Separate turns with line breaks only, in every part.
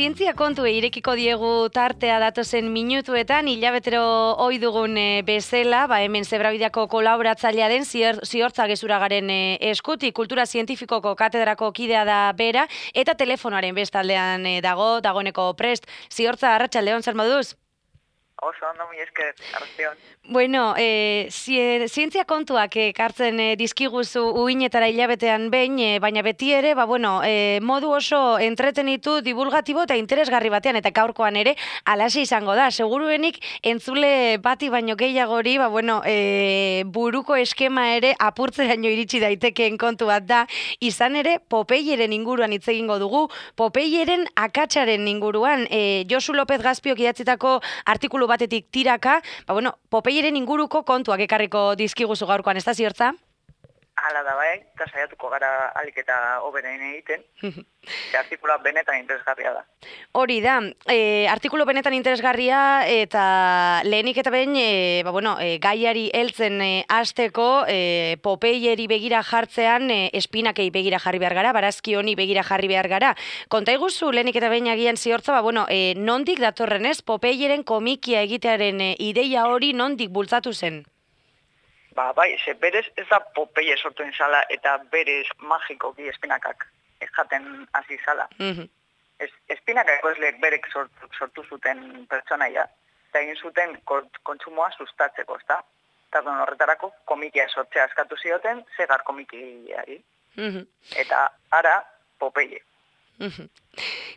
Zientzia kontuei irekiko diegu tartea datozen minutuetan, hilabetero ohi dugun bezala, hemen Zebrabideako kolaboratzailea den Ziortza Gezuragaren eskutik, kultura zientifikoko katedrako kidea da bera, eta telefonoaren bestaldean dagoeneko prest. Ziortza, arratsaldeon, zer moduz?
Oso ondo, mi esker, arratsaldeon.
Bueno, zientzia kontuak ekartzen dizkiguzu uinetara hilabetean behin, baina beti ere, modu oso entretenitu, divulgatibo eta interesgarri batean, eta gaurkoan ere, alaxe izango da. Seguruenik entzule bati baino gehiagori, buruko eskema ere apurtzeraino iritsi daitekeen kontu bat da, izan ere, Popeyeren inguruan hitz egingo dugu, Popeyeren akatsaren inguruan, Josu López Gazpiok idatzitako artikulu batetik tiraka, Popeyeren inguruko kontuak ekarriko dizkiguzu gaurkoan, ez da, Ziortza?
Hala da bai, eta saiatuko gara alik eta hoberen egiten. Artikula benetan interesgarria da.
Hori da, artikulu benetan interesgarria eta lehenik eta behin, gaiari heltzen hasteko Popeyeri begira jartzean espinakei begira jarri behar gara, barazki honi begira jarri behar gara. Konta iguzu lehenik eta behin agian, Ziortza, nondik datorren ez, Popeyeren komikia egitearen ideia hori nondik bultzatu zen?
Berez ez da Popeye sortu zala eta berez magikoki espinakak jaten hasi zala. Espinaka ekoizleek berek sortu zuten pertsonaia, eta egin zuten kontsumoa sustatzeko, ezta? Eta horretarako komikia sortzea eskatu zioten, zegar komikiari. Eta ara Popeye.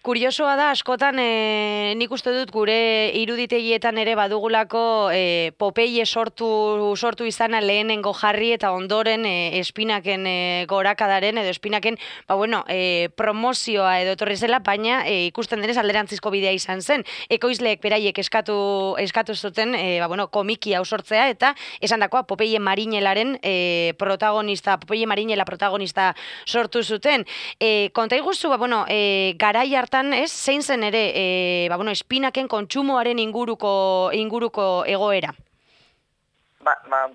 Kuriosoa da, askotan nik uste dut gure iruditegietan ere badugulako Popeye sortu izana lehenengo jarri eta ondoren espinaken gorakadaren edo espinaken promozioa edo etorri zela, baina ikusten denez alderantzizko bidea izan zen. Ekoizleek beraiek eskatu zuten komiki hau sortzea eta esan dakoa Popeye Marinelaren protagonista, Popeye Marinela protagonista sortu zuten. Konta iguzu, garai hartan, ez, zein zen ere, espinaken kontsumoaren inguruko egoera?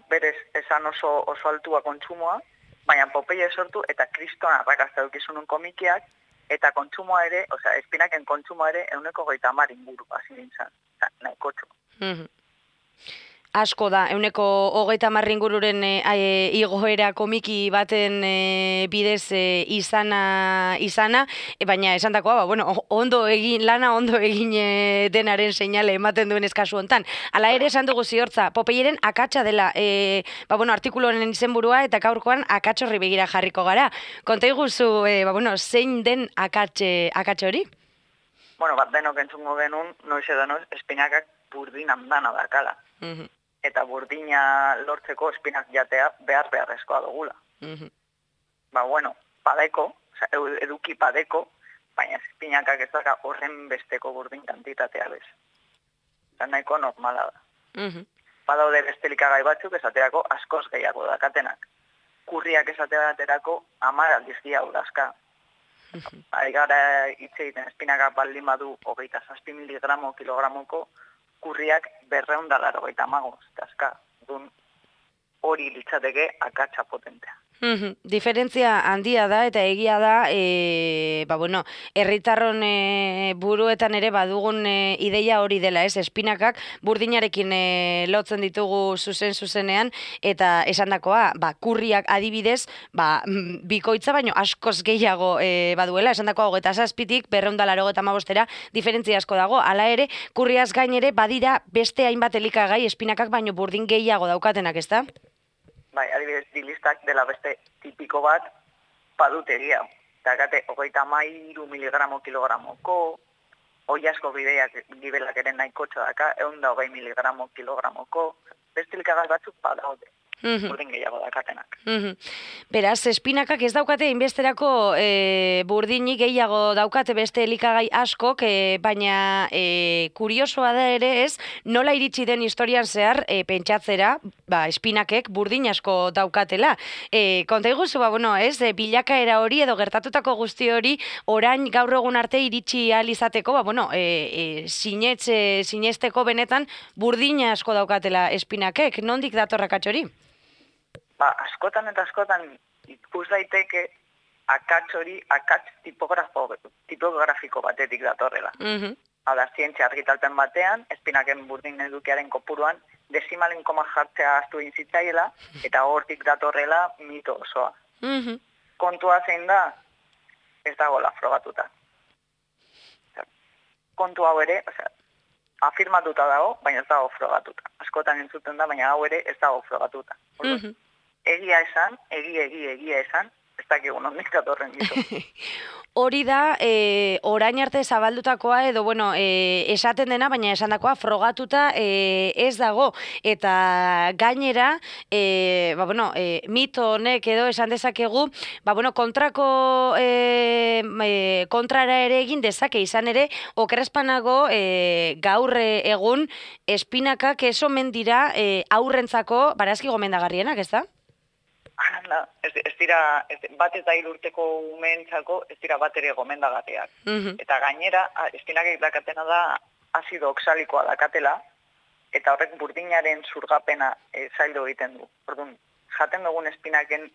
Berez esan oso altua kontsumoa, baina Popeye sortu eta kriston arrakasta dukizunun komikiak, eta kontsumoa ere, espinaken kontsumoa ere 130 inguru hasi nintzen, nahikotxo.
Asko da, 130 ingururen igoera komiki baten bidez izana, baina esan dakoa, lana ondo egin denaren seinale ematen duen eskazu hontan. Hala ere esan dugu, Ziortza, Popeyeren akatsa dela, artikulu honen izenburua eta gaurkoan akatsorri begira jarriko gara. Konta iguzu, zein den akatsa hori?
Denok entzungo genuen, noiz edo noiz, espinakak burdin handana dakala. Eta burdina lortzeko espinak jatea beharrezkoa dugula. Padeko, eduki padeko, baina espinakak ez daka horren besteko burdin kantitatea bez. Eta nahiko normala da. Badaude beste likagai batzuk esaterako askoz gehiago dakatenak. Kurriak esate baterako 10 aldiz gehiago dazka. Gara hitz egiten espinakak baldin badu 27 miligramo kilogramoko, kurriak 285 dazka, hori litzateke akatsa potentea.
Diferentzia handia da eta egia da, herritarron buruetan ere badugun ideia hori dela, ez? Espinakak burdinarekin lotzen ditugu zuzenean, eta esandakoa, kurriak adibidez, bikoitza baino askoz gehiago baduela, esandakoa 27tik 285era diferentzia asko dago. Hala ere, kurriaz gain ere badira beste hainbat elikagai espinakak baino burdin gehiago daukatenak, ezta?
Adibidez, dilistak dela beste tipiko bat padutegia. Dakate, 33 miligramo kilogramoko, hoi asko gibelak ere nahikotxo daka, 120 miligramo kilogramoko, beste likagai batzuk badaude, burdin gehiago dakatenak.
Beraz, espinakak ez daukate inbesterako burdinik gehiago daukate beste elikagai askok, baina kuriosoa da ere ez, nola iritsi den historian zehar pentsatzera, espinakek burdin asko daukatela. Konta iguzu, bilakaera hori edo gertatutako guzti hori orain gaur egun arte iritsi ahal izateko, sinesteko benetan burdin asko daukatela espinakek. Nondik datorra katxori?
Askotan eta askotan ikus daiteke akats hori, akats tipografiko batetik datorrela. Hau da, zientzia argitalpen batean, espinaken burdin edukiaren kopuruan, desimalen koma jartzea ahaztu intzitzaiela, eta hortik datorrela mito osoa. Kontua zein da, ez dagoela frogatuta. Kontu hau ere, afirmatuta dago, baina ez dago frogatuta. Askotan entzuten da, baina hau ere ez dago frogatuta. Egia esan, egia esan, ez dakigu nondik datorren ditu.
Hori da, orain arte zabaldutakoa edo, bueno, esaten dena, baina esandakoa frogatuta ez dago. Eta gainera, mito honek edo esan dezakegu, kontrara ere egin dezake izan ere, okerrezpanago gaur egun espinakak ez omen dira aurrentzako barazki gomendagarrienak, ez da?
Ez dira, bat eta 3 urteko umeentzako, ez dira bat ere gomendagarriak. Eta gainera, espinakek dakatena da azido oxalikoa dakatela, eta horrek burdinaren zurgapena zaildu egiten du. Orduan, jaten dugun espinaken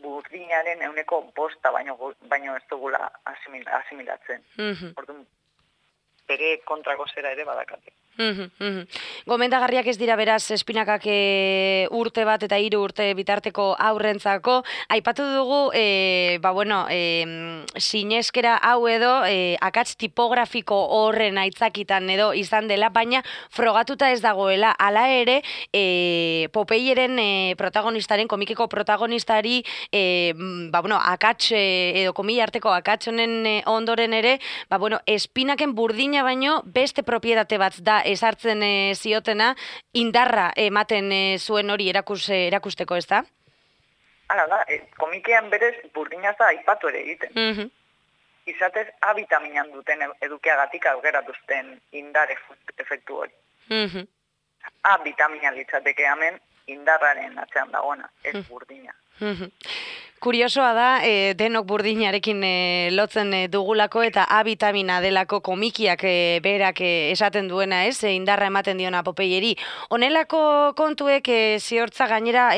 burdinaren 5% baino ez dugula asimilatzen. Orduan, bere kontrako zera ere badakate.
Gomendagarriak ez dira beraz espinakak urte bat eta 3 urte bitarteko aurrentzako. Aipatu dugu, sineskera hau edo akats tipografiko horren aitzakitan edo izan dela, baina frogatuta ez dagoela. Hala ere, Popeyeren protagonistaren, komikeko protagonistari, akats edo komila arteko akats honen ondoren ere, espinaken burdina baino beste propietate bat da esartzen ziotena, indarra ematen zuen hori erakusteko, ez da?
Hala da, komikean berez burdina da aipatu ere egiten. Izatez, A vitaminan duten edukiagatik augeratuzten indar efektu hori. A vitamina litzateke hemen indarraren atzean dagoena, ez burdina.
Kuriosoa da, denok burdinarekin lotzen dugulako eta A vitamina delako komikiak berak esaten duena, ez? Indarra ematen diona Popeyeri. Honelako kontuek ziortza gainera,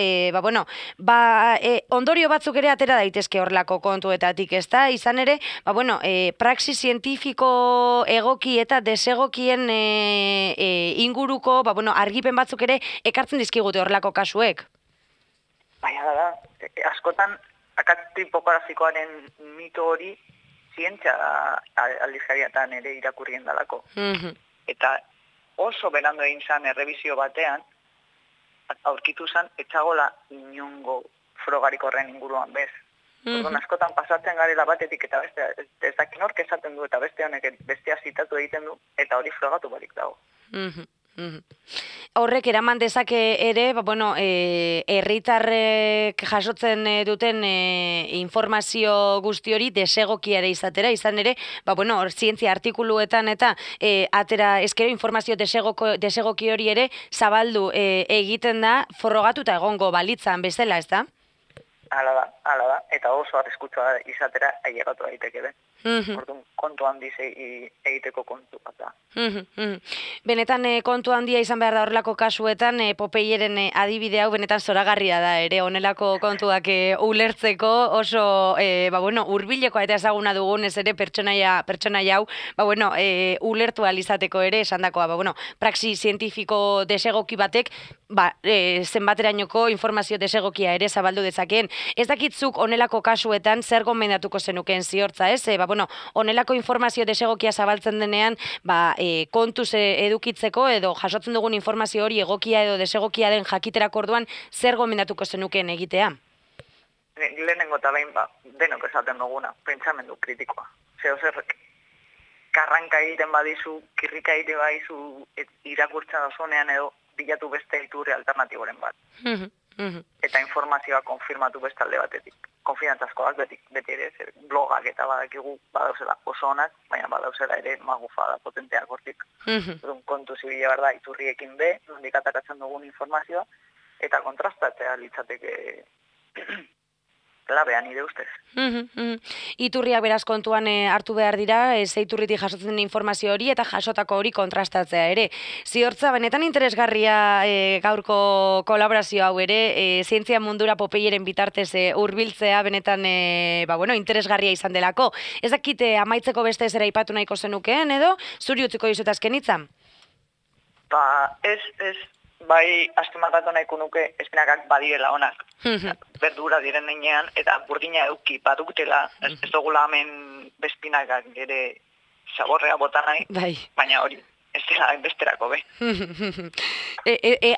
ondorio batzuk ere atera daitezke horrelako kontuetatik, ez da? Izan ere, praxi zientifiko egoki eta desegokien inguruko, argipen batzuk ere ekartzen dizkigute horrelako kasuek.
Baina da, askotan akats tipografikoaren mito hori zientzia aldizkariatan ere irakurrien dalako. Eta oso berando egin zan errebizio batean, aurkitu zan, etxagola inongo frogarik horren inguruan bez. Orduan askotan pasatzen garela batetik eta beste, ez dakin hork esaten du eta beste honek bestea zitatu egiten du, eta hori frogatu barik dago.
Horrek eraman dezake ere, herritarrek jasotzen duten informazio guzti hori desegokia ere izatera, izan ere, zientzia artikuluetan eta atera eskero informazio desegoki hori ere zabaldu egiten da frogatuta egongo balitzan bezala, ez da?
Hala da, eta oso arriskutsua izatera ailegatu daiteke den. Orduan, kontu handiz egiteko kontu bat da.
Benetan kontu handia izan behar da horrelako kasuetan, Popeyeren adibide hau benetan zoragarria da ere, honelako kontuak ulertzeko oso hurbilekoa eta ezaguna dugun ez ere pertsonaia hau, ulertu alizateko ere esandakoa, praxi zientifiko desegoki batek, zenbaterainoko informazio desegokia ere zabaldu dezakeen. Ez dakitzuk honelako kasuetan zer gomendatuko zenukeen ziortza, ez? Honelako informazio desegokia zabaltzen denean, kontuz edukitzeko edo jasotzen dugun informazio hori egokia edo desegokia den jakiterako orduan zer gomendatuko zenukeen egitea?
Lehenengo eta behin, denok esaten duguna, pentsamendu kritikoa. Zerrek, karranka egiten badizu, kirrika egiten badizu irakurtzen dozunean edo bilatu beste iturri alternatiboren bat. Eta informazioa konfirmatu beste alde batetik. Konfidantzazkoak beti ere, blogak eta badakigu badauzela oso onak, baina badauzela ere magufada potenteak hortik. Kontu zibila behar da, iturriekin nondik atakatzen dugun informazioa, eta kontrastatzea litzateke klabean nire ustez.
Iturriak beraz kontuan hartu behar dira, ze iturritik jasotzen den informazio hori eta jasotako hori kontrastatzea ere. Ziortza, benetan interesgarria gaurko kolaborazio hau ere, zientzia mundura Popeieren bitartez hurbiltzea benetan interesgarria izan delako. Ez dakite amaitzeko beste zera ipatu nahiko zenukeen edo, zuri utziko dizut azken hitza?
Ez, bai, azpimarratu nahiko nuke espinakak badirela onak. Berdura diren nenean, eta burdina eduki badutela, ez dugula hemen bezpinakak ere zaborrea bota nahi, baina hori, ez dela besterako be.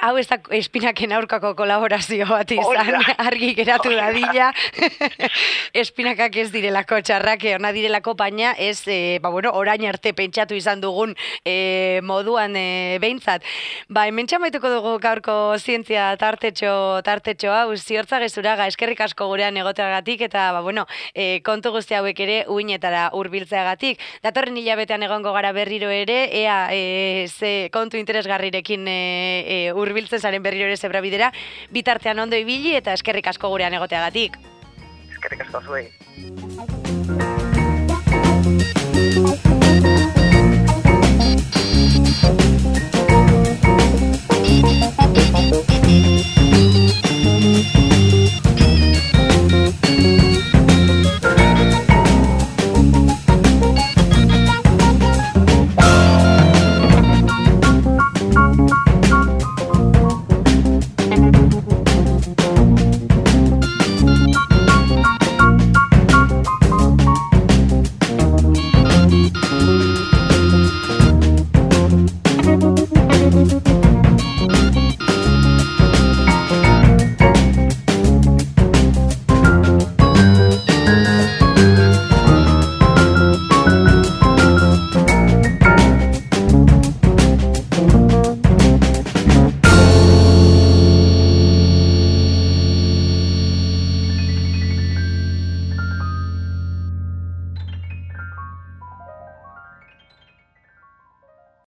Hau ez da espinaken aurkako kolaborazio bat izan, argi geratu dadila. Espinakak ez direlako txarrak, ona direlako, baina ez, orain arte pentsatu izan dugun moduan behintzat. Hemen txamaituko dugu gaurko zientzia tartetxo hau, Ziortza Gezuraga, eskerrik asko gurean egoteagatik, eta kontu guzti hauek ere uinetara hurbiltzeagatik. Datorren hilabetean egongo gara berriro ere, ea ze kontu interesgarrirekin hurbiltzen zaren berriro ere zebrabidera, bitartean ondo ibili eta eskerrik asko gurean egoteagatik.
Eskerrik asko zuei.